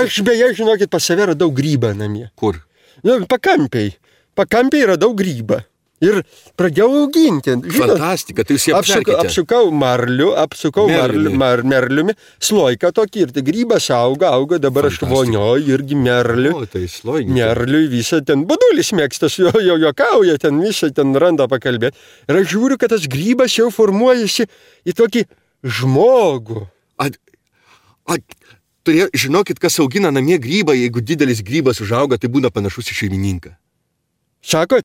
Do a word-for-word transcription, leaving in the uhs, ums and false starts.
Aš beje, žinokit, pas save radau grybą namie. Kur? Nu, pakampiai. Pakampiai radau grybą. Ir pradėjau auginti. Žinot, Fantastika, tai jūs jį apsukau, apverkite. apsukau marliu, apsukau marliu, Merliumi. mar, merliumi, slojką tokį ir tai grybas auga, auga, dabar aš Fantastika. vonioju irgi merliu. O, tai sloigiai. Merliui visą ten, badulis mėgstas, jo, jo juokauja, ten visą ten randa pakalbėti. Ir aš žiūriu, kad tas grybas jau formuojasi į tokį žmogų. At, at, turė, žinokit, kas augina namie grybą, jeigu didelis grybas užauga, tai būna panašus į šeimininką. Sako,